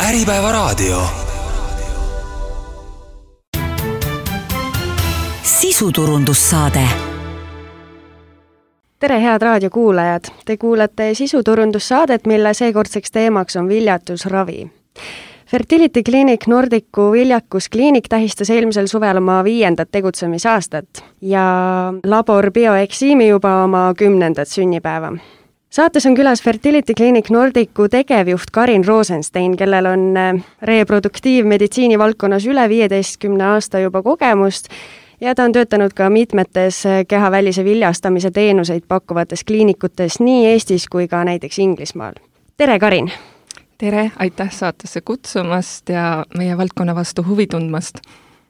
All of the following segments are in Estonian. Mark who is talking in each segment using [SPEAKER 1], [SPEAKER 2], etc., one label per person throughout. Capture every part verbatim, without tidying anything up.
[SPEAKER 1] Äripäevaraadio. Sisuturundussaade.
[SPEAKER 2] Tere, head raadiokuulajad! Te kuulate sisuturundussaadet, mille seekordseks teemaks on viljatusravi. Fertility Clinic Nordicu viljakuskliinik tähistas eelmisel suvel oma viiendat tegutsemisaastat ja labor Bioeximi juba oma kümnendat sünnipäeva. Saates on külas Fertility Clinic Nordicu tegevjuht Karin Rosenstein, kellel on reproduktiivmeditsiini valdkonnas üle viieteistkümne aasta juba kogemust ja ta on töötanud ka mitmetes kehavälise viljastamise teenuseid pakkuvates kliinikutes nii Eestis kui ka näiteks Inglismaal. Tere, Karin!
[SPEAKER 3] Tere, aitäh saatesse kutsumast ja meie valdkonna vastu huvi tundmast.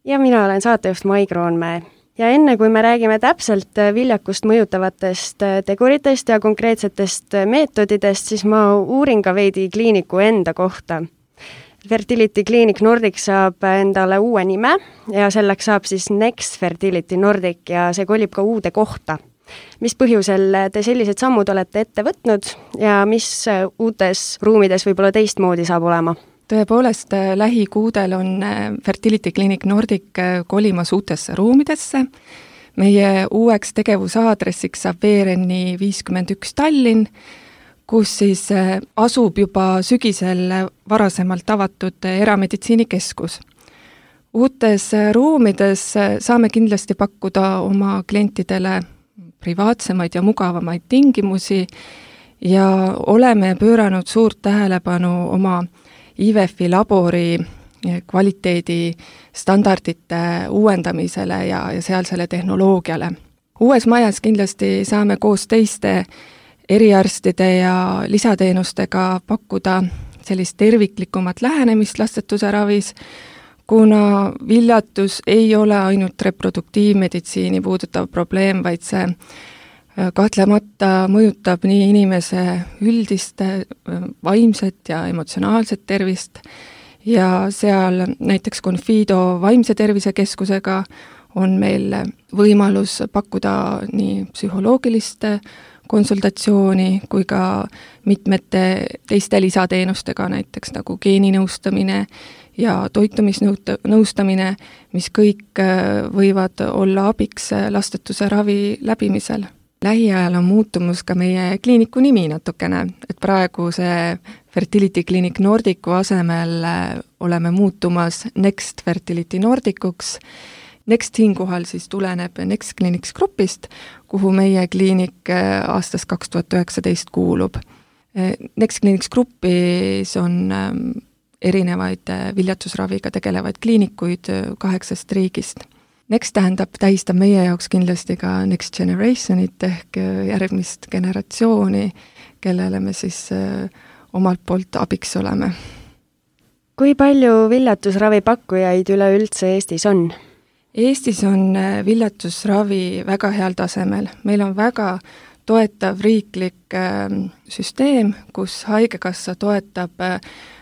[SPEAKER 2] Ja mina olen saatejuht Mai Kroonmäe. Ja enne kui me räägime täpselt viljakust mõjutavatest teguritest ja konkreetsetest meetodidest, siis ma uurin ka veidi kliiniku enda kohta. Fertility Clinic Nordic saab endale uue nime ja selleks saab siis Next Fertility Nordic ja see kolib ka uude kohta. Mis põhjusel te sellised sammud olete ette võtnud ja mis uutes ruumides võib-olla teistmoodi saab olema?
[SPEAKER 3] Tõepoolest, lähikuudel on Fertility Clinic Nordic kolimas uutesse ruumidesse. Meie uueks tegevusaadressiks saab V R N viiskümmend üks Tallinn, kus siis asub juba sügisel varasemalt avatud erameditsiinikeskus. Uutes ruumides saame kindlasti pakkuda oma klientidele privaatsemaid ja mugavamaid tingimusi ja oleme pööranud suurt tähelepanu oma I V F-i labori kvaliteedi standardite uuendamisele ja, ja sealsele tehnoloogiale. Uues majas kindlasti saame koos teiste eriarstide ja lisateenustega pakkuda sellist terviklikumat lähenemist lastetuse ravis, kuna viljatus ei ole ainult reproduktiivmeditsiini puudutav probleem, vaid see kahtlemata mõjutab nii inimese üldist vaimset ja emotsionaalset tervist ja seal näiteks Confido vaimse tervise keskusega on meil võimalus pakkuda nii psühholoogilist konsultatsiooni kui ka mitmete teiste lisateenustega, näiteks nagu geeninõustamine ja toitumisnõustamine, mis kõik võivad olla abiks lastetuse ravi läbimisel. Lähiajal on muutumus ka meie kliiniku nimi natukene, et praegu see Fertility Clinic Nordicu asemel oleme muutumas Next Fertility Nordicuks. Next siinkohal siis tuleneb Next Clinics grupist, kuhu meie kliinik aastast kaks tuhat üheksateist kuulub. Next Clinics grupis on erinevaid viljatusraviga tegelevaid kliinikuid kaheksast riigist. Next tähendab, tähistab meie jaoks kindlasti ka Next Generationit ehk järgmist generatsiooni, kellele me siis omalt poolt abiks oleme.
[SPEAKER 2] Kui palju viljatusravi pakkujaid üleüldse Eestis on?
[SPEAKER 3] Eestis on viljatusravi väga heal tasemel. Meil on väga toetav riiklik süsteem, kus haigekassa toetab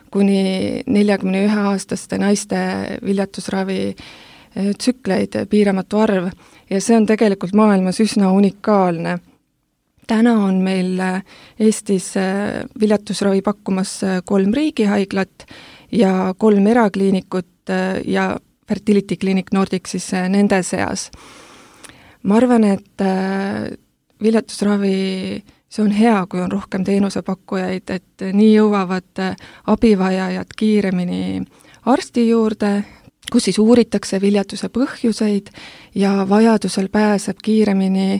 [SPEAKER 3] kuni neljakümne ühe aastaste naiste viljatusravi tsükleid piiramatu arv ja see on tegelikult maailmas üsna unikaalne. Täna on meil Eestis viljatusravi pakkumas kolm riigihaiglat ja kolm erakliinikut ja Fertility Clinic Nordic siis nende seas. Ma arvan, et viljatusravi, see on hea, kui on rohkem teenusepakkujaid, et nii jõuavad abivajajad kiiremini arsti juurde, kus siis uuritakse viljatuse põhjuseid ja vajadusel pääseb kiiremini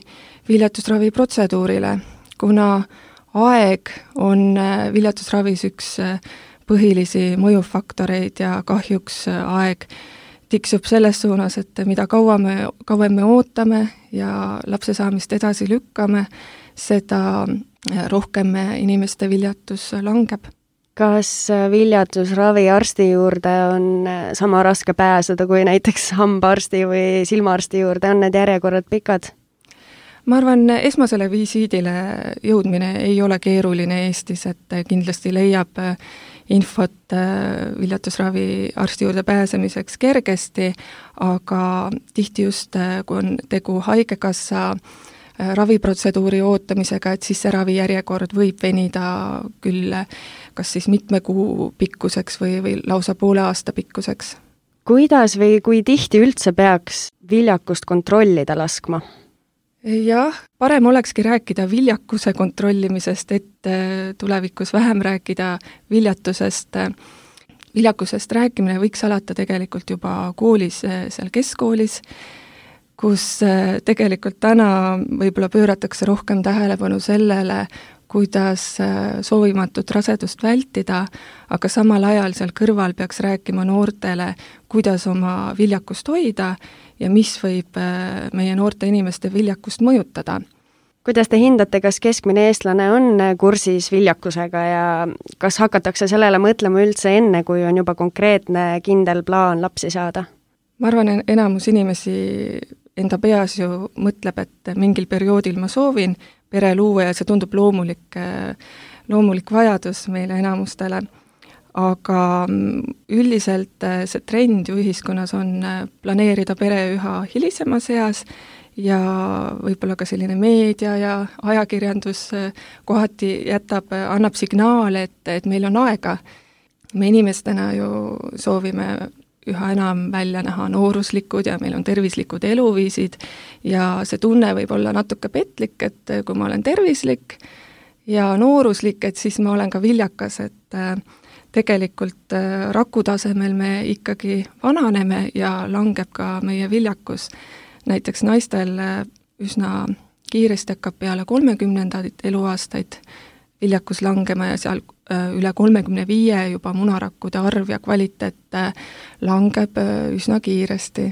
[SPEAKER 3] viljatusravi protseduurile, kuna aeg on viljatusravis üks põhilisi mõjufaktoreid ja kahjuks aeg tiksub selles suunas, et mida kauem me, kauem me ootame ja lapse saamist edasi lükkame, seda rohkem inimeste viljatus langeb.
[SPEAKER 2] Kas viljatusravi arsti juurde on sama raske pääseda kui näiteks hambaarsti või silmaarsti juurde, on need järjekorrad pikad?
[SPEAKER 3] Ma arvan, esmasele visiidile jõudmine ei ole keeruline Eestis, et kindlasti leiab infot viljatusravi arsti juurde pääsemiseks kergesti, aga tihti just, kui on tegu haigekassa raviprotseduuri ootamisega, et siis see ravijärjekord võib venida küll kas siis mitme kuu pikkuseks või, või lausa poole aasta pikkuseks.
[SPEAKER 2] Kuidas või kui tihti üldse peaks viljakust kontrollida laskma?
[SPEAKER 3] Jah, parem olekski rääkida viljakuse kontrollimisest, et tulevikus vähem rääkida viljatusest. Viljakusest rääkimine võiks alata tegelikult juba koolis, seal keskkoolis, kus tegelikult täna võib-olla pööratakse rohkem tähelepanu sellele, kuidas soovimatut rasedust vältida, aga samal ajal seal kõrval peaks rääkima noortele, kuidas oma viljakust hoida ja mis võib meie noorte inimeste viljakust mõjutada.
[SPEAKER 2] Kuidas te hindate, kas keskmine eestlane on kursis viljakusega ja kas hakatakse sellele mõtlema üldse enne, kui on juba konkreetne kindel plaan lapsi saada?
[SPEAKER 3] Ma arvan, enamus inimesi enda peas ju mõtleb, et mingil perioodil ma soovin pere luua ja see tundub loomulik, loomulik vajadus meile enamustele. Aga üldiselt see trend ju ühiskonnas on planeerida pere üha hilisemas eas ja võib-olla ka selline meedia ja ajakirjandus kohati jätab, annab signaale, et, et meil on aega. Me inimestena ju soovime üha enam välja näha nooruslikud ja meil on tervislikud eluviisid ja see tunne võib olla natuke petlik, et kui ma olen tervislik ja nooruslik, et siis ma olen ka viljakas, et tegelikult raku tasemel me ikkagi vananeme ja langeb ka meie viljakus. Näiteks naistel üsna kiiresti hakkab peale kolmekümnendaid eluaastaid viljakus langema ja seal üle kolmekümne viie juba munarakkude arv ja kvaliteet langeb üsna kiiresti.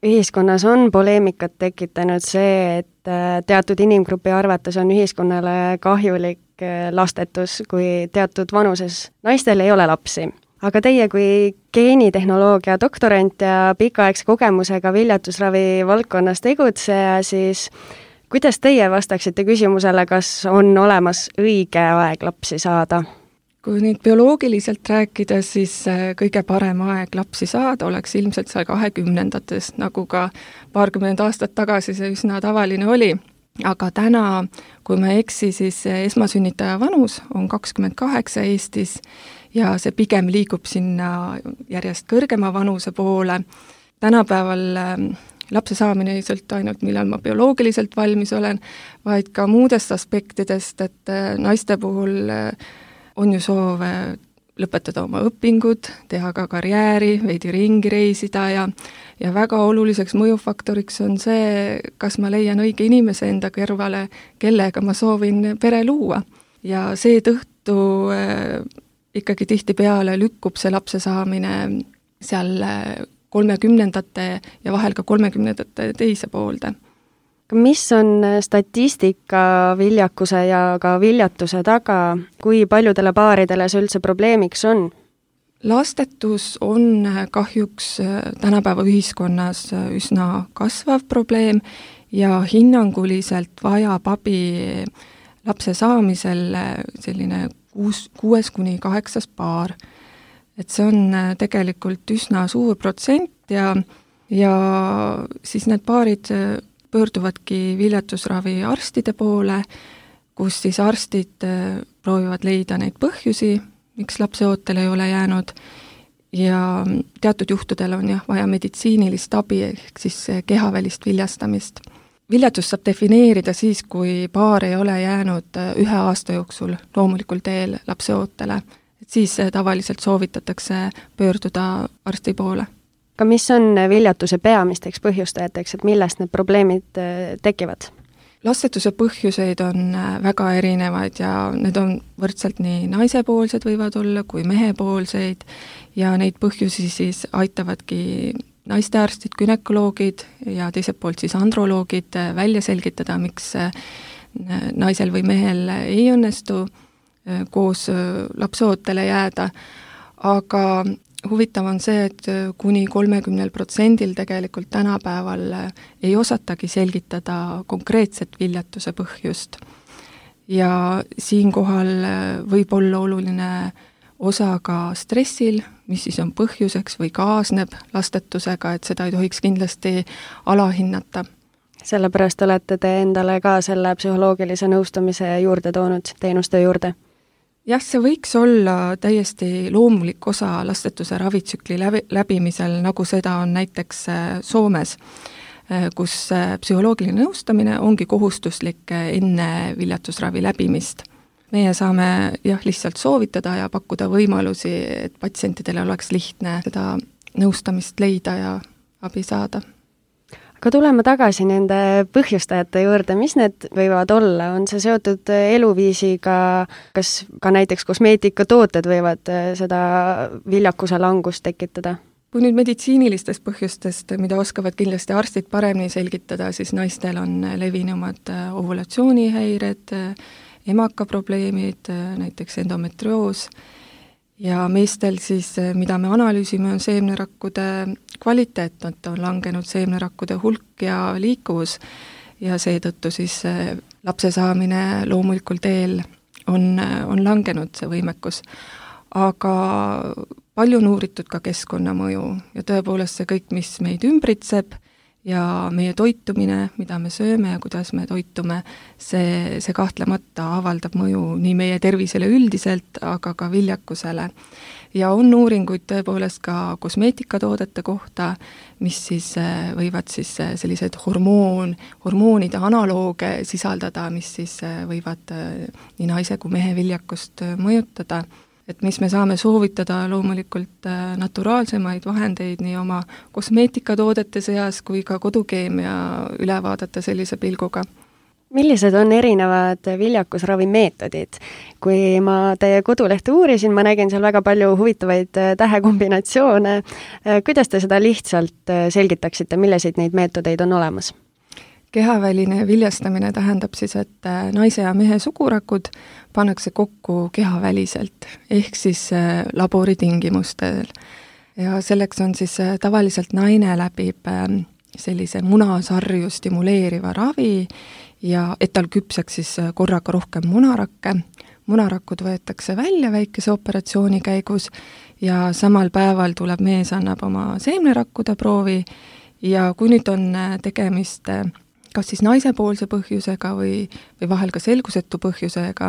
[SPEAKER 2] Ühiskonnas on poleemikat tekitanud see, et teatud inimgrupi arvates on ühiskonnale kahjulik lastetus, kui teatud vanuses naistel ei ole lapsi. Aga teie kui geenitehnoloogia doktorant ja pikaaegse kogemusega viljatusravi valdkonnas tegutseja, siis kuidas teie vastaksite küsimusele, kas on olemas õige aeg lapsi saada?
[SPEAKER 3] Kui nüüd bioloogiliselt rääkida, siis kõige parem aeg lapsi saada oleks ilmselt seal kahekümnendates, nagu ka paarkümmend aastat tagasi see üsna tavaline oli. Aga täna, kui ma eksi, siis esmasünnitaja vanus on kakskümmend kaheksa Eestis ja see pigem liigub sinna järjest kõrgema vanuse poole. Tänapäeval lapse saamine ei sõltu ainult, millal ma bioloogiliselt valmis olen, vaid ka muudest aspektidest, et naiste puhul on ju soov lõpetada oma õpingud, teha ka karjääri, veidi ringi reisida ja, ja väga oluliseks mõjufaktoriks on see, kas ma leian õige inimese enda kõrvale, kellega ma soovin pere luua. Ja seetõttu äh, ikkagi tihtipeale lükkub see lapse saamine seal kolmekümnendate ja vahel ka kolmekümnendate teise poolde.
[SPEAKER 2] Mis on statistika viljakuse ja ka viljatuse taga, kui paljudele paaridele see üldse probleemiks on?
[SPEAKER 3] Lastetus on kahjuks tänapäeva ühiskonnas üsna kasvav probleem ja hinnanguliselt vajab abi lapse saamisel selline kuus, kuues kuni kaheksas paar. Et see on tegelikult üsna suur protsent ja, ja siis need paarid pöörduvadki viljatusravi arstide poole, kus siis arstid proovivad leida neid põhjusi, miks lapse ootel ei ole jäänud ja teatud juhtudel on jah vaja meditsiinilist abi ehk siis kehavälist viljastamist. Viljatus saab defineerida siis, kui paar ei ole jäänud ühe aasta jooksul loomulikul teel lapse ootele, et siis tavaliselt soovitatakse pöörduda arsti poole.
[SPEAKER 2] Aga mis on viljatuse peamisteks põhjustajateks, et millest need probleemid tekivad?
[SPEAKER 3] Lastetuse põhjuseid on väga erinevaid ja need on võrdselt nii naisepoolsed võivad olla kui mehepoolseid ja neid põhjusi siis aitavadki naistearstid, gynekoloogid ja teiselt poolt siis androloogid välja selgitada, miks naisel või mehel ei õnnestu koos lapseootele jääda, aga huvitav on see, et kuni kolmekümnel protsendil tegelikult tänapäeval ei osatagi selgitada konkreetset viljatuse põhjust. Ja siinkohal võib olla oluline osa ka stressil, mis siis on põhjuseks või kaasneb lastetusega, et seda ei tohiks kindlasti alahinnata.
[SPEAKER 2] sellepärast olete te endale ka selle psühholoogilise nõustamise juurde toonud, teenuste juurde?
[SPEAKER 3] Jah, see võiks olla täiesti loomulik osa lastetuse ravitsükli läbi, läbimisel, nagu seda on näiteks Soomes, kus psühholoogiline nõustamine ongi kohustuslik enne viljatusravi läbimist. Meie saame jah, lihtsalt soovitada ja pakkuda võimalusi, et patsientidele oleks lihtne seda nõustamist leida ja abi saada.
[SPEAKER 2] Aga tuleme tagasi nende põhjustajate juurde, mis need võivad olla? On see seotud eluviisiga, kas ka näiteks kosmeetikatooted võivad seda viljakuse langust tekitada?
[SPEAKER 3] Kui nüüd meditsiinilistest põhjustest, mida oskavad kindlasti arstid paremini selgitada, siis naistel on levinumad ovulatsioonihäired, emakaprobleemid, näiteks endometrioos, ja meestel siis, mida me analüüsime, on seemnerakkude kvaliteet, et on langenud seemnerakkude hulk ja liikuvus ja seetõttu siis lapse saamine loomulikul teel on, on langenud see võimekus. Aga palju on uuritud ka keskkonnamõju ja tõepoolest see kõik, mis meid ümbritseb ja meie toitumine, mida me sööme ja kuidas me toitume, see, see kahtlemata avaldab mõju nii meie tervisele üldiselt, aga ka viljakusele. Ja on uuringuid tõepoolest ka kosmeetikatoodete kohta, mis siis võivad siis sellised hormoon, hormoonide analooge sisaldada, mis siis võivad nii naise kui mehe viljakust mõjutada. Et mis me saame soovitada loomulikult naturaalsemaid vahendeid nii oma kosmeetikatoodete seas kui ka kodukeemia üle vaadata sellise pilguga.
[SPEAKER 2] Millised on erinevad viljakusravimeetodid? Kui ma teie kodulehte uurisin, ma nägin seal väga palju huvitavaid tähekombinatsioone. Kuidas te seda lihtsalt selgitaksite, milliseid neid meetodeid on olemas?
[SPEAKER 3] Kehaväline viljastamine tähendab siis, et naise ja mehe sugurakud pannakse kokku kehaväliselt, ehk siis laboritingimustel. Ja selleks on siis tavaliselt naine läbib sellise munasarju stimuleeriva ravi ja et tal küpseks siis korraga rohkem munarakke. Munarakud võetakse välja väikese operatsiooni käigus ja samal päeval tuleb mees annab oma seemnerakkude proovi ja kui nüüd on tegemist kas siis naisepoolse põhjusega või, või vahel ka selgusetu põhjusega,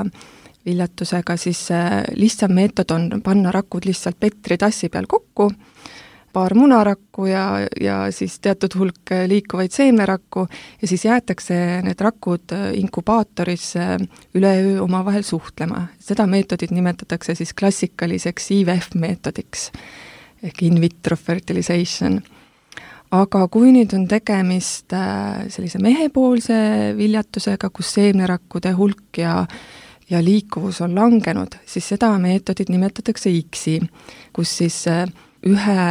[SPEAKER 3] viljatusega, siis lihtsam meetod on panna rakud lihtsalt petritassi peal kokku, paar munarakku ja, ja siis teatud hulk liikuvaid seemnerakku ja siis jäetakse need rakud inkubaatoris üle öö omavahel suhtlema. Seda meetodit nimetatakse siis klassikaliseks I V F meetodiks ehk in vitro fertilization. Aga kui nüüd on tegemist sellise mehepoolse viljatusega, kus seemnerakkude hulk ja, ja liikuvus on langenud, siis seda meetodit nimetatakse I X I, kus siis ühe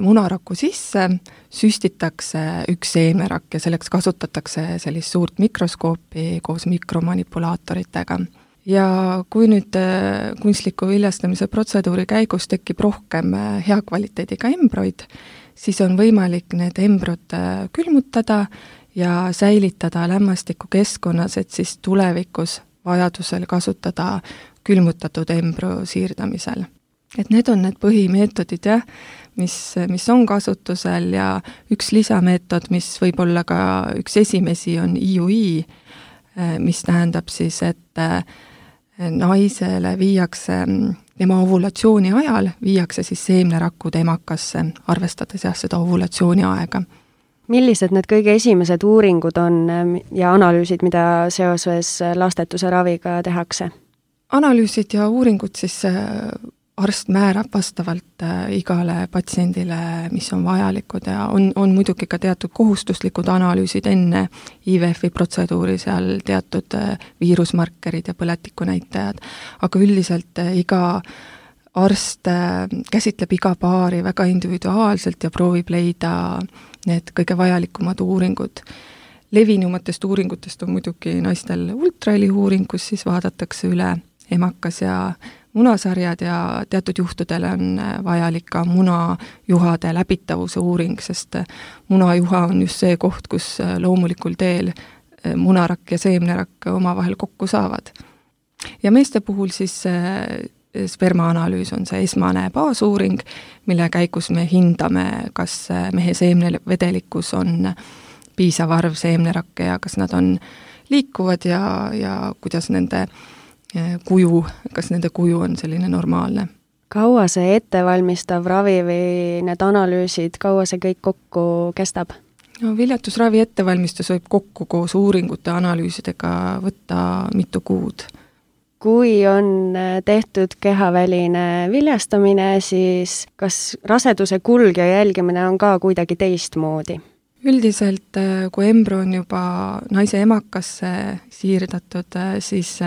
[SPEAKER 3] munaraku sisse süstitakse üks seemnerakk ja selleks kasutatakse sellist suurt mikroskoopi koos mikromanipulaatoritega. Ja kui nüüd kunstliku viljastamise protseduuri käigus tekib rohkem hea kvaliteediga embroid, siis on võimalik need embrod külmutada ja säilitada lämmastiku keskkonnas, et siis tulevikus vajadusel kasutada külmutatud embro siirdamisel. Et need on need põhimeetodid, jah, mis, mis on kasutusel ja üks lisameetod, mis võib olla ka üks esimesi, on I U I, mis tähendab siis, et naisele viiakse tema ovulatsiooni ajal viiakse siis seemnerakud emakasse, arvestades jah seda ovulatsiooni aega.
[SPEAKER 2] Millised need kõige esimesed uuringud on ja analüüsid, mida seoses lastetuse raviga tehakse?
[SPEAKER 3] Analüüsid ja uuringud siis arst määrab vastavalt igale patsiendile, mis on vajalikud ja on, on muidugi ka teatud kohustuslikud analüüsid enne I V F-i protseduuri, seal teatud viirusmarkerid ja põletikunäitajad, aga üldiselt iga arst käsitleb iga paari väga individuaalselt ja proovib leida need kõige vajalikumad uuringud. Levinumatest uuringutest on muidugi naistel ultraheli uuring, kus siis vaadatakse üle emakas ja munasarjad ja teatud juhtudel on vajalik ka munajuhade läbitavuse uuring, sest munajuha on just see koht, kus loomulikul teel munarakk ja seemnerakk omavahel kokku saavad. Ja meeste puhul siis spermaanalüüs on see esmane baasuuring, mille käigus me hindame, kas mehe seemnevedelikkus on piisav arv seemnerakke ja kas nad on liikuvad ja, ja kuidas nende kuju, kas nende kuju on selline normaalne.
[SPEAKER 2] Kaua see ettevalmistav ravi või need analüüsid, kaua see kõik kokku kestab?
[SPEAKER 3] No viljatusravi ettevalmistus võib kokku koos uuringute analüüsidega võtta mitu kuud.
[SPEAKER 2] Kui on tehtud kehaväline viljastamine, siis kas raseduse kulg ja jälgimine on ka kuidagi teistmoodi?
[SPEAKER 3] Üldiselt, kui embrüo on juba naise emakasse siirdatud, siis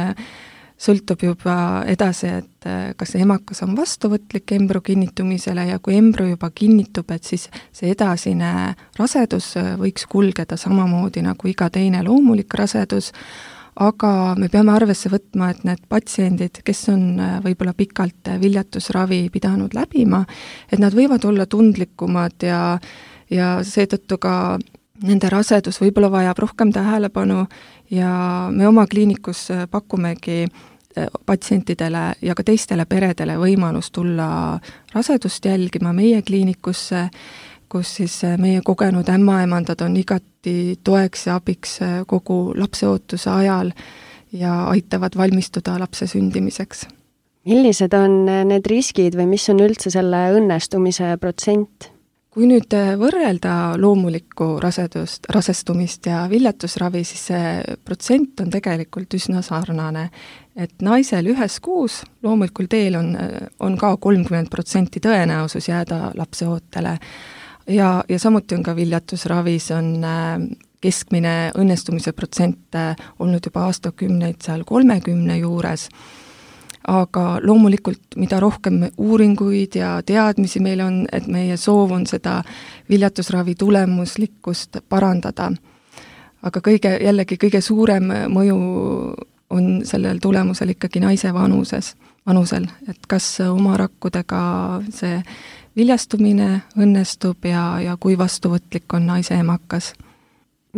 [SPEAKER 3] sõltub juba edasi, et kas see emakas on vastuvõtlik embrüo kinnitumisele ja kui embrüo juba kinnitub, et siis see edasine rasedus võiks kulgeda samamoodi nagu iga teine loomulik rasedus, aga me peame arvesse võtma, et need patsiendid, kes on võib-olla pikalt viljatusravi pidanud läbima, et nad võivad olla tundlikumad ja, ja seetõttu ka nende rasedus võib-olla vajab rohkem tähelepanu ja me oma kliinikus pakumegi patsientidele ja ka teistele peredele võimalus tulla rasedust jälgima meie kliinikusse, kus siis meie kogenud ämmaemandad on igati toeks ja abiks kogu lapseootuse ajal ja aitavad valmistuda lapse sündimiseks.
[SPEAKER 2] Millised on need riskid või mis on üldse selle õnnestumise protsent?
[SPEAKER 3] Kui nüüd võrrelda loomulikku rasedust, rasestumist ja viljatusravi, siis see protsent on tegelikult üsna sarnane. Et naisel ühes kuus loomulikul teel on, on ka kolmkümmend protsenti tõenäosus jääda lapseootele. Ja, ja samuti on ka viljatusravis on keskmine õnnestumise protsent olnud juba aastakümneid seal kolmekümne juures, aga loomulikult mida rohkem uuringuid ja teadmisi meil on, et meie soov on seda viljatusravi tulemuslikkust parandada. Aga kõige, jällegi kõige suurem mõju on sellel tulemusel ikkagi naise vanuses, vanusel, et kas oma rakkudega see viljastumine õnnestub ja, ja kui vastuvõtlik on naise emakas.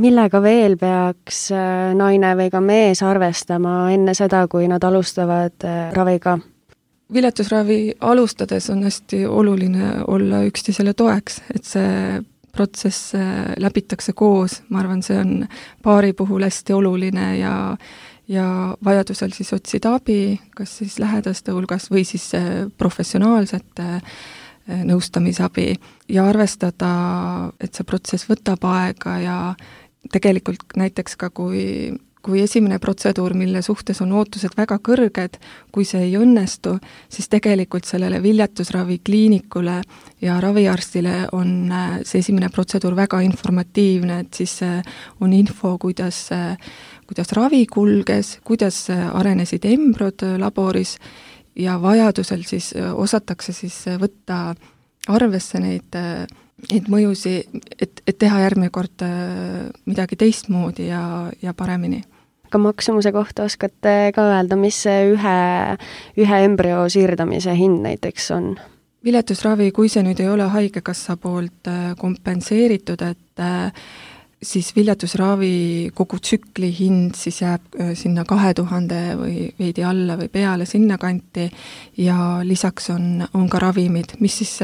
[SPEAKER 2] Millega veel peaks naine või ka mees arvestama enne seda, kui nad alustavad raviga?
[SPEAKER 3] Viljatusravi alustades on hästi oluline olla üksteisele toeks, et see protsess läbitakse koos, ma arvan, see on paari puhul hästi oluline ja ja vajadusel siis otsida abi, kas siis lähedaste hulgas või siis professionaalsete nõustamisabi ja arvestada, et see protsess võtab aega ja tegelikult näiteks ka kui, kui esimene protseduur, mille suhtes on ootused väga kõrged, kui see ei õnnestu, siis tegelikult sellele viljatusravi kliinikule ja raviarstile on see esimene protseduur väga informatiivne, et siis on info, kuidas, kuidas ravi kulges, kuidas arenesid embrüod laboris ja vajadusel siis osatakse siis võtta arvesse neid, neid mõjusi, et, et teha järgmine kord midagi teistmoodi ja, ja paremini.
[SPEAKER 2] Ka maksumuse kohta oskate ka öelda, mis see ühe, ühe embrüo siirdamise hind näiteks on?
[SPEAKER 3] Viljatusravi, kui see nüüd ei ole haigekassa poolt kompenseeritud, et siis viljatusravi kogu tsükli hind siis jääb sinna kahe tuhande või veidi alla või peale sinna kanti ja lisaks on, on ka ravimid, mis siis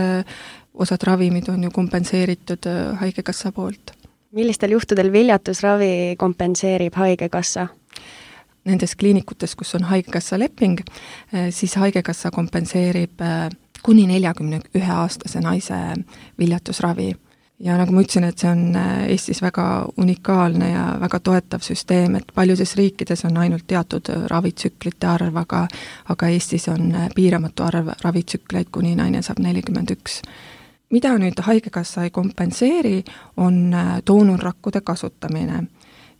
[SPEAKER 3] osad ravimid on ju kompenseeritud haigekassa poolt.
[SPEAKER 2] Millistel juhtudel viljatusravi kompenseerib haigekassa?
[SPEAKER 3] Nendes kliinikutes, kus on haigekassa leping, siis haigekassa kompenseerib kuni neljakümne ühe aastase naise viljatusravi. Ja nagu ma ütlesin, et see on Eestis väga unikaalne ja väga toetav süsteem, et paljudes riikides on ainult teatud ravitsüklite arv, aga, aga Eestis on piiramatu arv ravitsükleid, kuni naine saab nelikümmend üks. Mida nüüd haigekassa ei kompenseeri, on doonorrakkude kasutamine.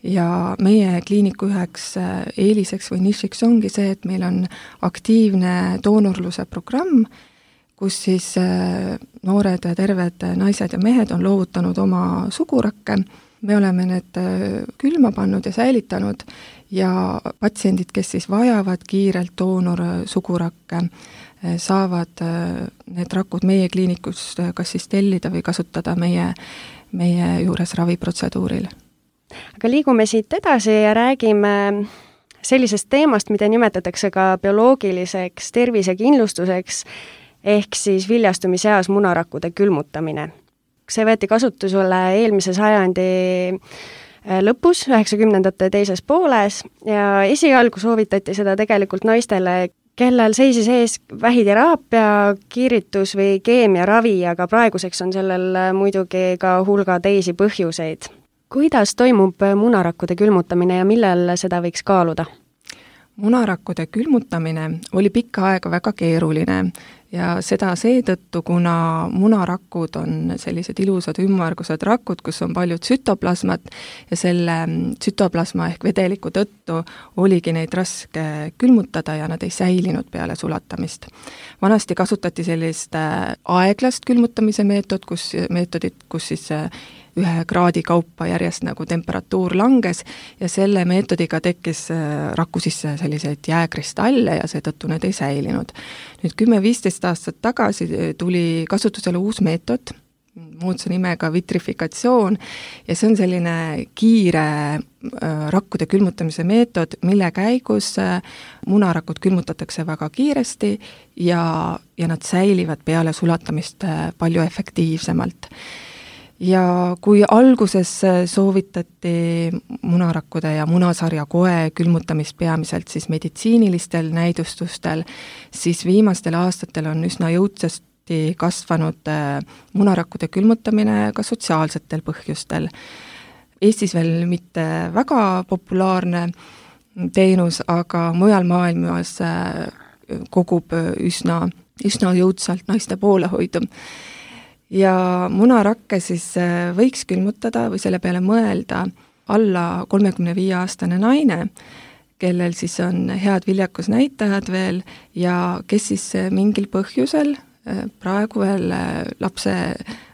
[SPEAKER 3] Ja meie kliiniku üheks eeliseks või nišiks ongi see, et meil on aktiivne doonorluse programm, kus siis noored terved naised ja mehed on loovutanud oma sugurakke. Me oleme need külma pannud ja säilitanud ja patsiendid, kes siis vajavad kiirelt doonor sugurakke, saavad need rakud meie kliinikus kas siis tellida või kasutada meie, meie juures raviprotseduuril.
[SPEAKER 2] Aga liigume siit edasi ja räägime sellisest teemast, mida nimetatakse ka bioloogiliseks tervisekindlustuseks, ehk siis viljastumiseas munarakkude külmutamine. see võeti kasutusele eelmise sajandi lõpus, üheksakümnendate teises pooles ja esialgu soovitati seda tegelikult naistele, kellel seisis ees vähiteraapia, kiiritus või keemiaravi, aga praeguseks on sellel muidugi ka hulga teisi põhjuseid. Kuidas toimub munarakkude külmutamine ja millel seda võiks kaaluda?
[SPEAKER 3] Munarakkude külmutamine oli pikka aega väga keeruline ja seda seetõttu, kuna munarakud on sellised ilusad ümmargused rakud, kus on palju tsütoplasmat ja selle tsütoplasma ehk vedeliku tõttu oligi neid raske külmutada ja nad ei säilinud peale sulatamist. Vanasti kasutati sellist aeglast külmutamise meetod, kus, meetodit, kus siis ühe kraadi kaupa järjest nagu temperatuur langes ja selle meetodiga tekkis raku sisse selliseid jääkristalle ja seetõttu need ei säilinud. Nüüd kümme viisteist aastat tagasi tuli kasutusele uus meetod, moodsa nimega vitrifikatsioon ja see on selline kiire rakkude külmutamise meetod, mille käigus munarakud külmutatakse väga kiiresti ja, ja nad säilivad peale sulatamist palju efektiivsemalt. Ja kui alguses soovitati munarakkude ja munasarja koe külmutamist peamiselt siis meditsiinilistel näidustustel, siis viimastel aastatel on üsna jõudsasti kasvanud munarakkude külmutamine ka sotsiaalsetel põhjustel. Eestis veel mitte väga populaarne teenus, aga mujal maailmas kogub üsna, üsna jõudsalt naiste poolehoidu. Ja munarakke siis võiks külmutada või selle peale mõelda alla kolmekümne viie aastane naine, kellel siis on head viljakusnäitajad veel ja kes siis mingil põhjusel praegu veel lapse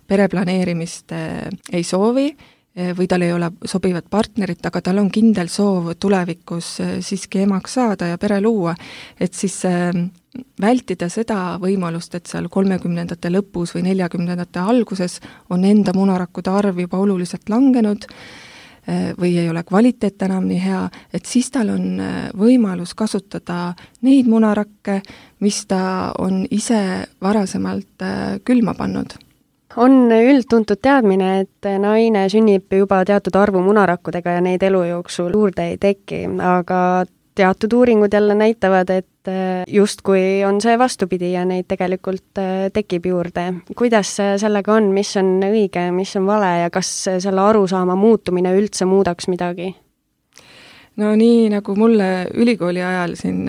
[SPEAKER 3] pereplaneerimist ei soovi või tal ei ole sobivat partnerit, aga tal on kindel soov tulevikus siiski emaks saada ja pere luua, et siis vältida seda võimalust, et seal kolmekümnendate lõpus või neljakümnendate alguses on enda munarakkude arv juba oluliselt langenud või ei ole kvaliteet enam nii hea, et siis tal on võimalus kasutada neid munarakke, mis ta on ise varasemalt külma pannud.
[SPEAKER 2] On üldtuntud teadmine, et naine sünnib juba teatud arvu munarakkudega ja neid elu jooksul juurde ei teki, aga teatud uuringud jälle näitavad, et justkui on see vastupidi ja neid tegelikult tekib juurde. Kuidas sellega on, mis on õige, mis on vale ja kas selle arusaama muutumine üldse muudaks midagi?
[SPEAKER 3] No nii, nagu mulle ülikooli ajal siin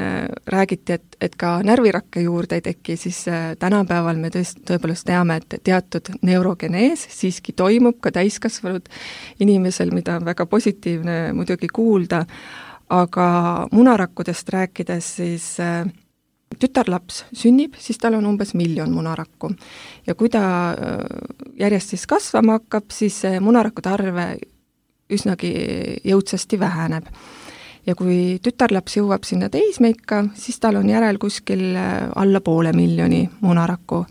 [SPEAKER 3] räägiti, et, et ka närvirakke juurde ei teki, siis tänapäeval me tõest, tõepoolest teame, et teatud neurogenees siiski toimub ka täiskasvanud inimesel, mida on väga positiivne muidugi kuulda, aga munarakkudest rääkides siis tütarlaps sünnib, siis tal on umbes miljon munarakku. Ja kui ta järjest siis kasvama hakkab, siis munarakkude arve üsnagi jõudsasti väheneb. Ja kui tütarlaps jõuab sinna teismeikka, siis tal on järel kuskil alla poole miljoni munarakku.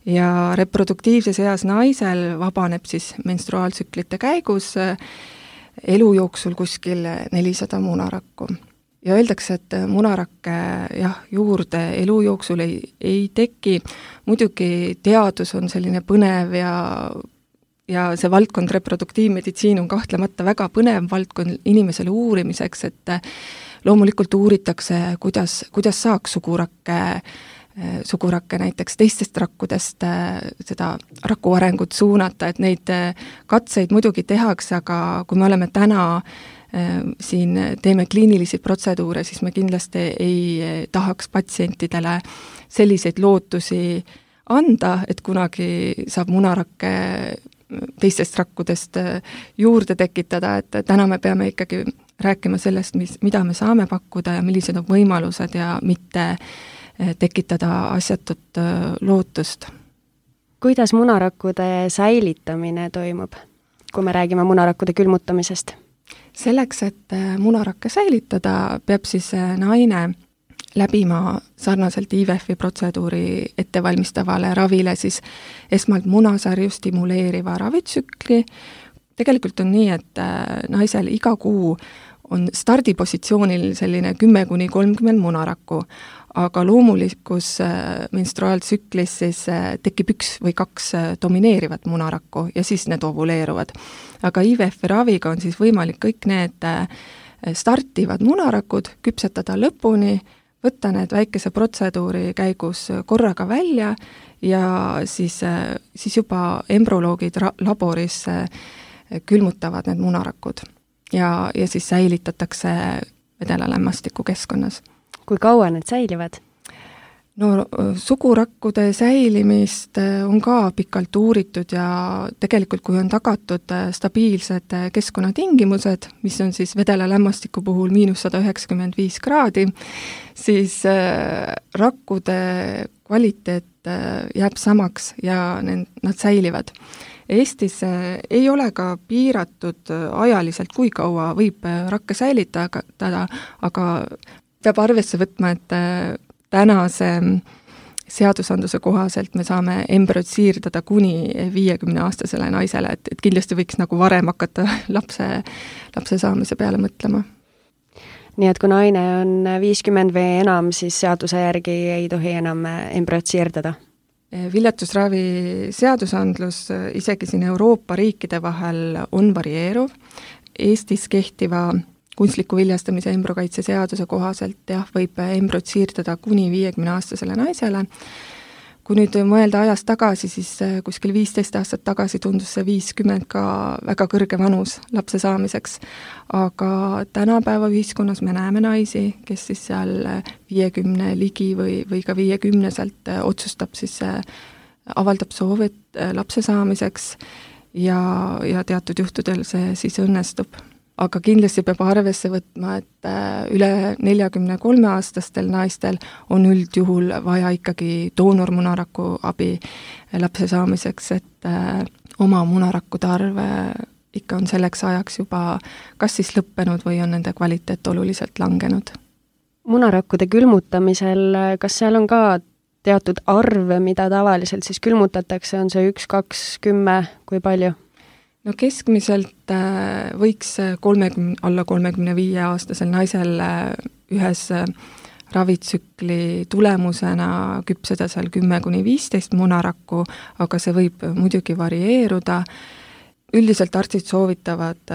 [SPEAKER 3] Ja reproduktiivses eas naisel vabaneb siis menstruaaltsüklite käigus elu jooksul kuskil nelisada munarakku. Ja öeldakse, et munarakke jah, juurde elu jooksul ei, ei teki. Muidugi teadus on selline põnev ja, ja see valdkond reproduktiivmeditsiin on kahtlemata väga põnev valdkond inimesele uurimiseks, et loomulikult uuritakse, kuidas, kuidas saaks sugurakke sugurakke näiteks teistest rakkudest seda raku arengut suunata, et neid katseid muidugi tehakse, aga kui me oleme täna siin teeme kliinilisi protseduure, siis me kindlasti ei tahaks patsientidele selliseid lootusi anda, et kunagi saab munarakke teistest rakkudest juurde tekitada, et täna me peame ikkagi rääkima sellest, mis, mida me saame pakkuda ja millised on võimalused ja mitte tekitada asjatut lootust.
[SPEAKER 2] Kuidas munarakkude säilitamine toimub, kui me räägime munarakkude külmutamisest?
[SPEAKER 3] Selleks, et munarakke säilitada, peab siis naine läbima sarnaselt I V F-i protseduuri ettevalmistavale ravile siis esmalt munasarju stimuleeriva ravitsükli. Tegelikult on nii, et naisel iga kuu on stardipositsioonil selline kümme kuni kolmkümmend munarakku, aga loomulikus menstruaaltsüklis siis tekib üks või kaks domineerivat munarakku ja siis need ovuleeruvad. Aga I V F raviga on siis võimalik kõik need startivad munarakud küpsetada lõpuni, võtta need väikese protseduuri käigus korraga välja ja siis, siis juba embrüoloogid ra- laboris külmutavad need munarakud ja, ja siis säilitatakse vedelalämmastiku keskkonnas.
[SPEAKER 2] Kui kaua need säilivad?
[SPEAKER 3] No sugurakkude säilimist on ka pikalt uuritud ja tegelikult kui on tagatud stabiilsed keskkonnatingimused, mis on siis vedelalämmastiku puhul miinus sada üheksakümmend viis kraadi, siis rakkude kvaliteet jääb samaks ja nad säilivad. Eestis ei ole ka piiratud ajaliselt, kui kaua võib rakke säilitada, aga peab arvesse võtma, et tänase seadusandluse kohaselt me saame embrüot siirdada kuni viiekümneaastasele naisele, et, et kindlasti võiks nagu varem hakata lapse, lapse saamise peale mõtlema.
[SPEAKER 2] Nii et kui naine on viiskümmend või enam, siis seaduse järgi ei tohi enam embrüot siirdada?
[SPEAKER 3] Viljatusravi seadusandlus isegi siin Euroopa riikide vahel on varieeruv. Eestis kehtiva kunstliku viljastamise embrüokaitse seaduse kohaselt jah, võib embrüot siirdada kuni viiekümneaastasele naisele. Kui nüüd mõelda ajast tagasi, siis kuskil viisteist aastat tagasi tundus see viiskümmend ka väga kõrge vanus lapse saamiseks. Aga tänapäeva ühiskonnas me näeme naisi, kes siis seal viiekümne ligi või, või ka viiekümneselt otsustab siis, avaldab soovi lapse saamiseks ja, ja teatud juhtudel see siis õnnestub. Aga kindlasti peab arvesse võtma, et üle neljakümne kolme aastastel naistel on üldjuhul vaja ikkagi doonormunaraku abi lapse saamiseks, et oma munarakkude arv ikka on selleks ajaks juba kas siis lõppenud või on nende kvaliteet oluliselt langenud.
[SPEAKER 2] Munarakkude külmutamisel, kas seal on ka teatud arv, mida tavaliselt siis külmutatakse, on see üks, kaks, kümme, kui palju?
[SPEAKER 3] No keskmiselt võiks kolmekümne, alla kolmekümne viie aastasel naisel ühes ravitsükli tulemusena küpseda seal kümme kuni viisteist munarakku, aga see võib muidugi varieeruda. Üldiselt arstid soovitavad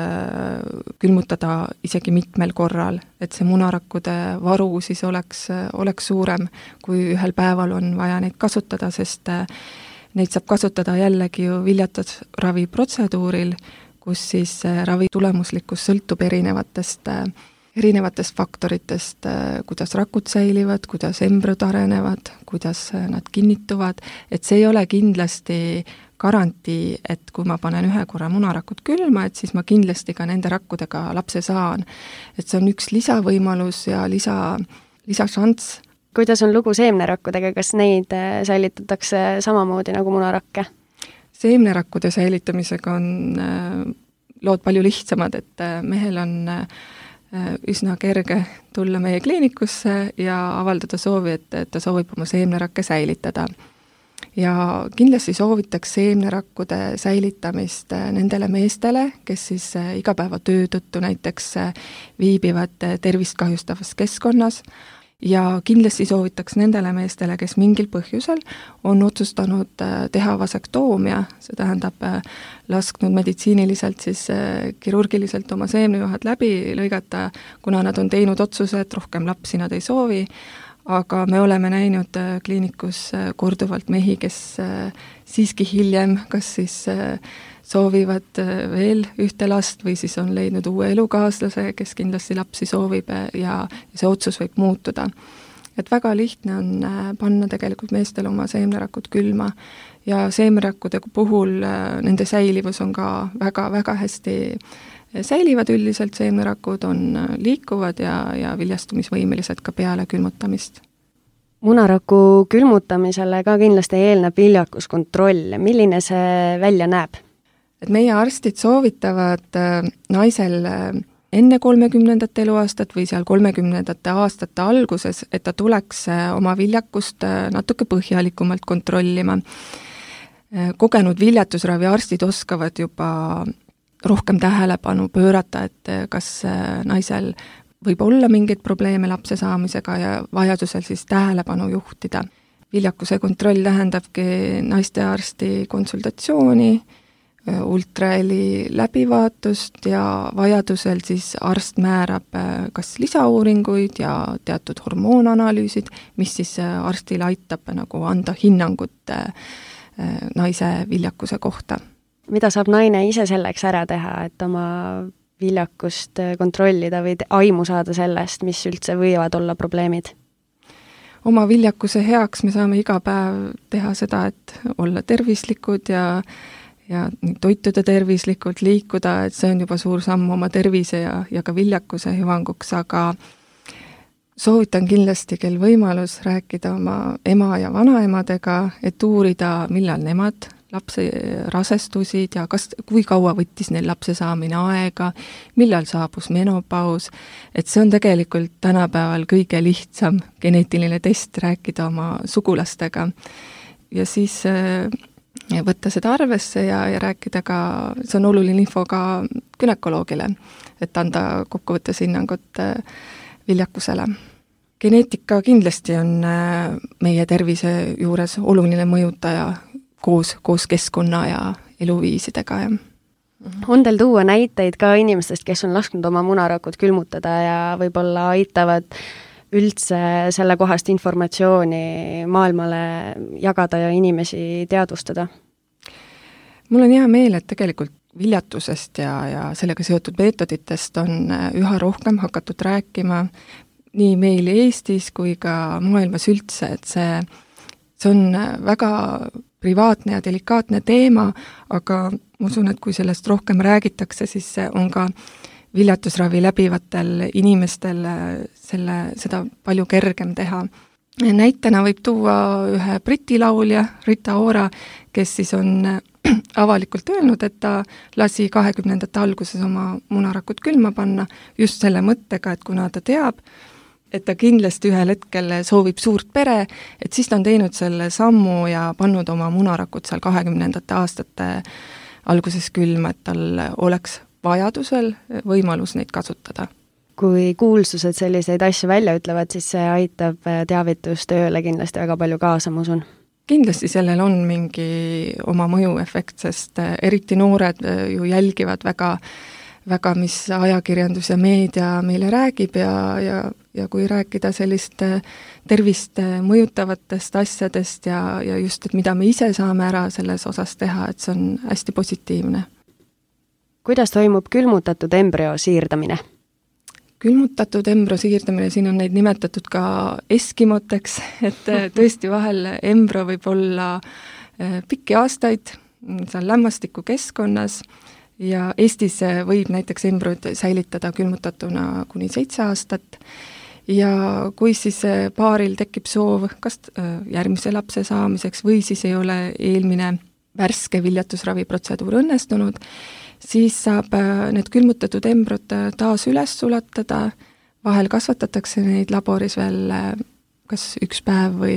[SPEAKER 3] külmutada isegi mitmel korral, et see munarakkude varu siis oleks, oleks suurem, kui ühel päeval on vaja neid kasutada, sest neid saab kasutada jällegi ju viljatusravi protseduuril, kus siis ravi tulemuslikkus sõltub erinevatest, erinevatest faktoritest, kuidas rakud säilivad, kuidas embrüod arenevad, kuidas nad kinnituvad, et see ei ole kindlasti garantii, et kui ma panen ühe korra munarakud külma, et siis ma kindlasti ka nende rakkudega lapse saan. Et see on üks lisavõimalus ja lisa, lisašanss.
[SPEAKER 2] Kuidas on lugu seemnerakkudega, kas neid säilitatakse samamoodi nagu munarakke?
[SPEAKER 3] Seemnerakkude säilitamisega on lood palju lihtsamad, et mehel on üsna kerge tulla meie kliinikusse ja avaldada soovi, et ta soovib oma seemnerakke säilitada. Ja kindlasti soovitaks seemnerakkude säilitamist nendele meestele, kes siis igapäeva töö tõttu näiteks viibivad tervist kahjustavas keskkonnas, ja kindlasti soovitaks nendele meestele, kes mingil põhjusel on otsustanud teha vasektoomia, see tähendab lasknud meditsiiniliselt siis kirurgiliselt oma seemnejuhad läbi lõigata, kuna nad on teinud otsuse, et rohkem lapsi nad ei soovi, aga me oleme näinud kliinikus korduvalt mehi, kes siiski hiljem kas siis soovivad veel ühte last või siis on leidnud uue elukaaslase, kes kindlasti lapsi soovib ja see otsus võib muutuda. Et väga lihtne on panna tegelikult meestel oma seemnerakud külma ja seemnerakkude puhul nende säilivus on ka väga-väga hästi säilivad üldiselt, seemnerakud on liikuvad ja, ja viljastumisvõimelised ka peale külmutamist.
[SPEAKER 2] Munaraku külmutamisele ka kindlasti eelneb viljakuskontroll. Milline see välja näeb?
[SPEAKER 3] Et meie arstid soovitavad naisel enne kolmekümnendat eluaastat või seal kolmekümnendate aastate alguses, et ta tuleks oma viljakust natuke põhjalikumalt kontrollima. Kogenud viljatusravi arstid oskavad juba rohkem tähelepanu pöörata, et kas naisel võib olla mingeid probleeme lapse saamisega ja vajadusel siis tähelepanu juhtida. Viljakuse kontroll tähendabki naistearsti konsultatsiooni, ultraheli läbivaatust ja vajadusel siis arst määrab kas lisauuringuid ja teatud hormoonanalüüsid, mis siis arstile aitab nagu anda hinnangut naise viljakuse kohta.
[SPEAKER 2] Mida saab naine ise selleks ära teha, et oma viljakust kontrollida või aimu saada sellest, mis üldse võivad olla probleemid?
[SPEAKER 3] Oma viljakuse heaks me saame iga päev teha seda, et olla tervislikud ja ja toituda tervislikult, liikuda, et see on juba suur samm oma tervise ja, ja ka viljakuse hüvanguks, aga soovitan kindlasti, kel võimalus rääkida oma ema ja vanaemadega, et uurida, millal nemad lapse rasestusid ja kas, kui kaua võttis neil lapse saamine aega, millal saabus menopaus, et see on tegelikult tänapäeval kõige lihtsam geneetiline test rääkida oma sugulastega ja siis ja võtta seda arvesse ja, ja rääkida ka, see on oluline info ka gynekoloogile, et anda kokkuvõttes hinnangut viljakusele. Geneetika kindlasti on meie tervise juures oluline mõjutaja koos, koos keskkonna ja eluviisidega. Ja.
[SPEAKER 2] On teil tuua näiteid ka inimestest, kes on lasknud oma munarakut külmutada ja võib-olla aitavad üldse selle kohast informatsiooni maailmale jagada ja inimesi teadvustada?
[SPEAKER 3] Mul on hea meel, et tegelikult viljatusest ja, ja sellega seotud meetoditest on üha rohkem hakatud rääkima nii meil Eestis kui ka maailmas üldse, et see, see on väga privaatne ja delikaatne teema, aga ma usun, et kui sellest rohkem räägitakse, siis see on ka viljatusravi läbivatel inimestel selle, seda palju kergem teha. Näitena võib tuua ühe briti laulja, Rita Ora, kes siis on avalikult öelnud, et ta lasi kahekümnendate alguses oma munarakut külma panna just selle mõttega, et kuna ta teab, et ta kindlasti ühel hetkel soovib suurt pere, et siis ta on teinud selle sammu ja pannud oma munarakut seal kahekümnendate aastate alguses külma, et tal oleks vajadusel võimalus neid kasutada.
[SPEAKER 2] Kui kuulsused selliseid asju välja ütlevad, siis see aitab teavitustööle kindlasti väga palju kaasa, ma usun.
[SPEAKER 3] Kindlasti sellel on mingi oma mõjuefekt, sest eriti noored ju jälgivad väga, väga mis ajakirjandus ja meedia meile räägib ja, ja, ja kui rääkida sellist tervist mõjutavatest asjadest ja, ja just, et mida me ise saame ära selles osas teha, et see on hästi positiivne.
[SPEAKER 2] Kuidas toimub külmutatud embrüo siirdamine?
[SPEAKER 3] Külmutatud embrüo siirdamine, siin on neid nimetatud ka eskimoteks, et tõesti vahel embrüo võib olla pikki aastaid seal lämmastiku keskkonnas ja Eestis võib näiteks embrüod säilitada külmutatuna kuni seitse aastat ja kui siis paaril tekib soov kas järgmise lapse saamiseks või siis ei ole eelmine värske viljatusraviprotseduur õnnestunud, siis saab need külmutatud embrüod taas üles sulatada, vahel kasvatatakse neid laboris veel kas üks päev või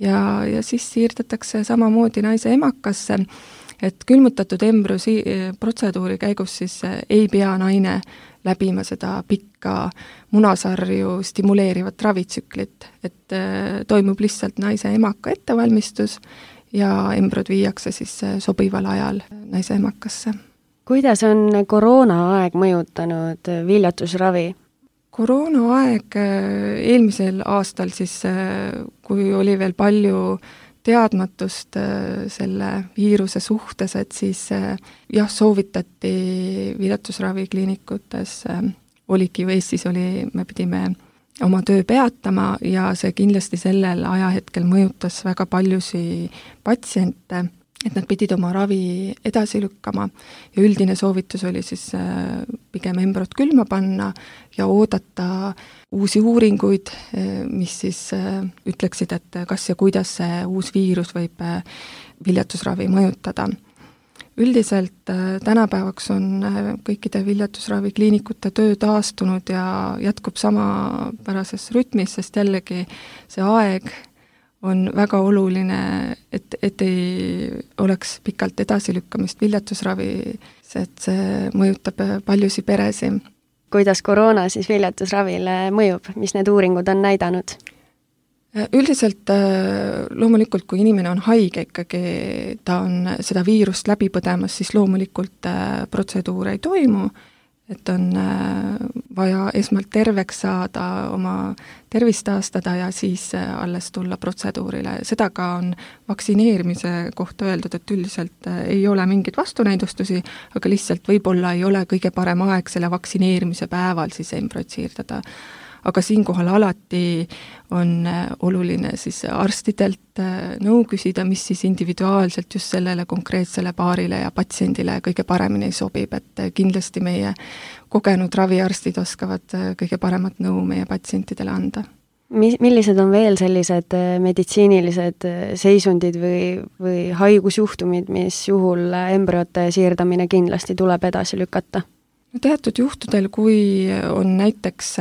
[SPEAKER 3] ja, ja siis siirdatakse samamoodi naise emakasse, et külmutatud embrüo si- protseduuri käigus siis ei pea naine läbima seda pikka munasarju stimuleerivat ravitsüklit, et toimub lihtsalt naise emaka ettevalmistus ja embrüod viiakse siis sobival ajal naise emakasse.
[SPEAKER 2] Kuidas on koroonaaeg mõjutanud viljatusravi?
[SPEAKER 3] Koroonaaeg eelmisel aastal siis, kui oli veel palju teadmatust selle viiruse suhtes, et siis jah, soovitati viljatusravikliinikutes, oligi ju Eestis oli, me pidime oma töö peatama ja see kindlasti sellel ajahetkel mõjutas väga paljusi patsiente, et nad pidid oma ravi edasi lükkama ja üldine soovitus oli siis pigem embrüod külma panna ja oodata uusi uuringuid, mis siis ütleksid, et kas ja kuidas see uus viirus võib viljatusravi mõjutada. Üldiselt tänapäevaks on kõikide viljatusravikliinikute töö taastunud ja jätkub samapärases rütmis, sest jällegi see aeg on väga oluline, et, et ei oleks pikalt edasilükkamist viljatusravis, et see mõjutab paljusid peresi.
[SPEAKER 2] Kuidas koroona siis viljatusravile mõjub, mis need uuringud on näidanud?
[SPEAKER 3] Üldiselt loomulikult, kui inimene on haige ikkagi, ta on seda viirust läbi põdemas, siis loomulikult protseduure ei toimu, et on vaja esmalt terveks saada, oma tervist taastada ja siis alles tulla protseduurile. Seda ka on vaktsineerimise kohta öeldud, et üldiselt ei ole mingeid vastunäidustusi, aga lihtsalt võib-olla ei ole kõige parem aeg selle vaktsineerimise päeval siis embrüot siirdada. Aga siinkohal alati on oluline siis arstidelt nõu küsida, mis siis individuaalselt just sellele konkreetsele paarile ja patsiendile kõige paremini sobib, et kindlasti meie kogenud raviarstid oskavad kõige paremat nõu meie patsientidele anda.
[SPEAKER 2] Mi-, millised on veel sellised meditsiinilised seisundid või, või haigusjuhtumid, mis juhul embrüote siirdamine kindlasti tuleb edasi lükata?
[SPEAKER 3] No teatud juhtudel, kui on näiteks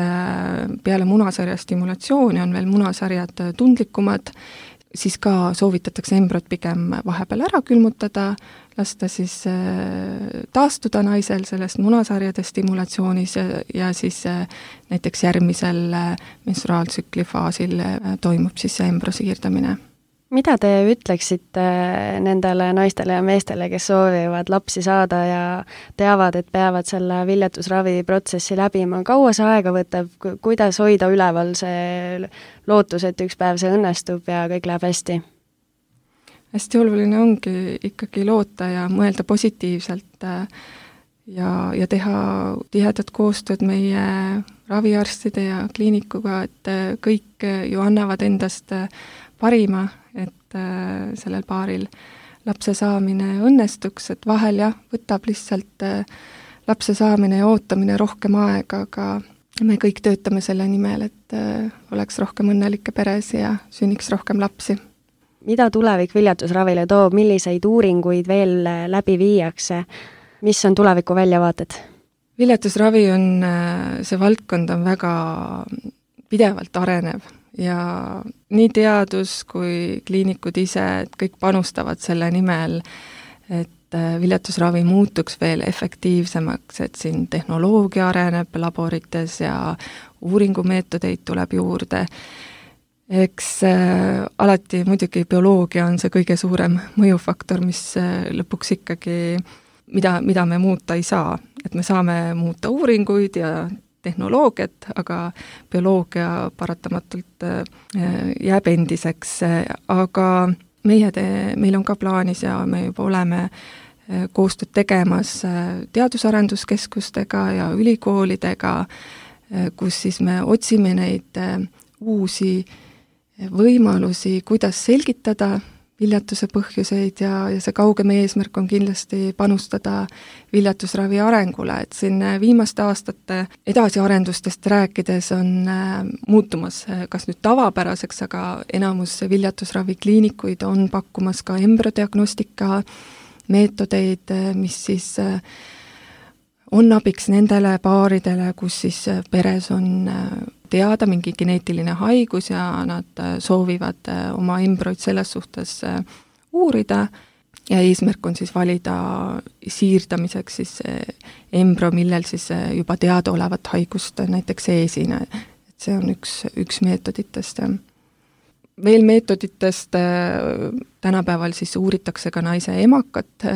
[SPEAKER 3] peale munasarja stimulatsiooni, on veel munasarjad tundlikumad, siis ka soovitatakse embrüot pigem vahepeal ära külmutada, lasta siis taastuda naisel sellest munasarjade stimulatsioonis ja siis näiteks järgmisel menstruaaltsükli faasil toimub siis see embrüo siirdamine.
[SPEAKER 2] Mida te ütleksite nendele naistele ja meestele, kes soovivad lapsi saada ja teavad, et peavad selle viljatusravi protsessi läbima? Kaua see aega võtab, kuidas hoida üleval see lootus, et üks päev see õnnestub ja kõik läheb hästi?
[SPEAKER 3] Hästi oluline ongi ikkagi loota ja mõelda positiivselt ja, ja teha tihedat koostööd meie raviarstide ja kliinikuga, et kõik ju annavad endast parima, et äh, sellel paaril lapse saamine õnnestuks, et vahel jah, võtab lihtsalt äh, lapse saamine ja ootamine rohkem aega, aga me kõik töötame selle nimel, et äh, oleks rohkem õnnelikke peresi ja sünniks rohkem lapsi.
[SPEAKER 2] Mida tulevik viljatusravile toob, milliseid uuringuid veel läbi viiakse, mis on tuleviku väljavaated?
[SPEAKER 3] Viljatusravi on, see valdkond on väga pidevalt arenev ja nii teadus kui kliinikud ise, et kõik panustavad selle nimel, et viljatusravi muutuks veel efektiivsemaks, et siin tehnoloogia areneb laborites ja uuringumeetodeid tuleb juurde. Eks äh, alati muidugi bioloogia on see kõige suurem mõjufaktor, mis äh, lõpuks ikkagi, mida, mida me muuta ei saa. Et me saame muuta uuringuid ja tehnoloogiat, aga bioloogia paratamatult jääb endiseks, aga meie te, meil on ka plaanis ja me juba oleme koostööd tegemas teadusarenduskeskustega ja ülikoolidega, kus siis me otsime neid uusi võimalusi, kuidas selgitada viljatuse põhjuseid ja, ja see kaugem eesmärk on kindlasti panustada viljatusravi arengule, et siin viimaste aastate edasiarendustest rääkides on äh, muutumas kas nüüd tavapäraseks, aga enamus viljatusravi kliinikuid on pakkumas ka embrüodiagnostika meetodeid, mis siis äh, on abiks nendele paaridele, kus siis peres on äh, teada mingi geneetiline haigus ja nad soovivad oma embrüoid selles suhtes uurida ja eesmärk on siis valida siirdamiseks siis embrüo, millel siis juba teadaolevat haigust näiteks ei esine. Et see on üks, üks meetoditest. Veel meetoditest tänapäeval siis uuritakse ka naise emakat,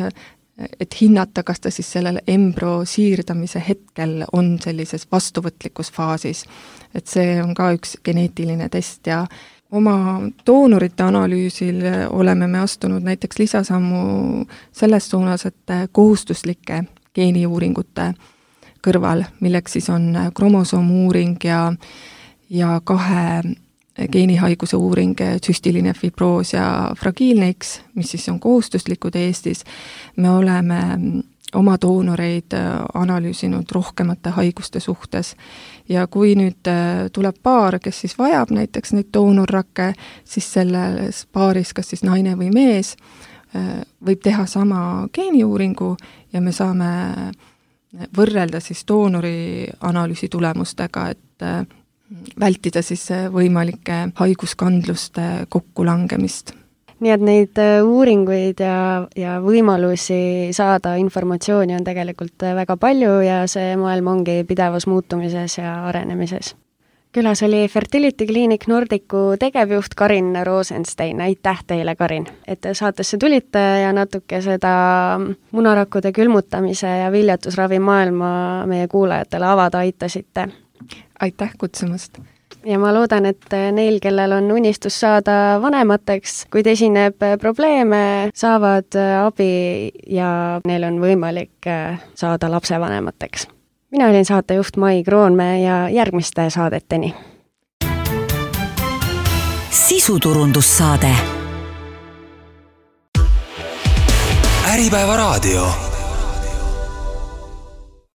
[SPEAKER 3] et hinnata, kas ta siis sellel embrüo siirdamise hetkel on sellises vastuvõtlikus faasis. Et see on ka üks geneetiline test ja oma doonorite analüüsil oleme me astunud näiteks lisasammu selles suunas, et kohustuslike geeniuuringute kõrval, milleks siis on kromosoomuuring ja, ja kahe geenihaiguse uuring, süstiline fibroos ja fragiilne X, mis siis on kohustuslikud Eestis. Me oleme oma doonoreid analüüsinud rohkemate haiguste suhtes ja kui nüüd tuleb paar, kes siis vajab näiteks neid doonorrakke, siis selles paaris, kas siis naine või mees, võib teha sama geeniuuringu ja me saame võrrelda siis doonori analüüsi tulemustega, et vältida siis võimalike haiguskandluste kokkulangemist.
[SPEAKER 2] Nii et neid uuringuid ja, ja võimalusi saada informatsiooni on tegelikult väga palju ja see maailm ongi pidevas muutumises ja arenemises. Külas oli Fertility Clinic Nordicu tegevjuht Karin Rosenstein. Aitäh teile, Karin, et te saatesse tulite ja natuke seda munarakkude külmutamise ja viljatusravi maailma meie kuulajatele avada aitasite.
[SPEAKER 3] Aitäh kutsumast!
[SPEAKER 2] Ja ma loodan, et neil, kellel on unistus saada vanemateks, kuid esineb probleeme, saavad abi ja neil on võimalik saada lapsevanemateks. Mina olin saatejuht Mai Kroonmäe ja järgmiste saadeteni.
[SPEAKER 1] Sisuturundussaade. Äripäeva raadio.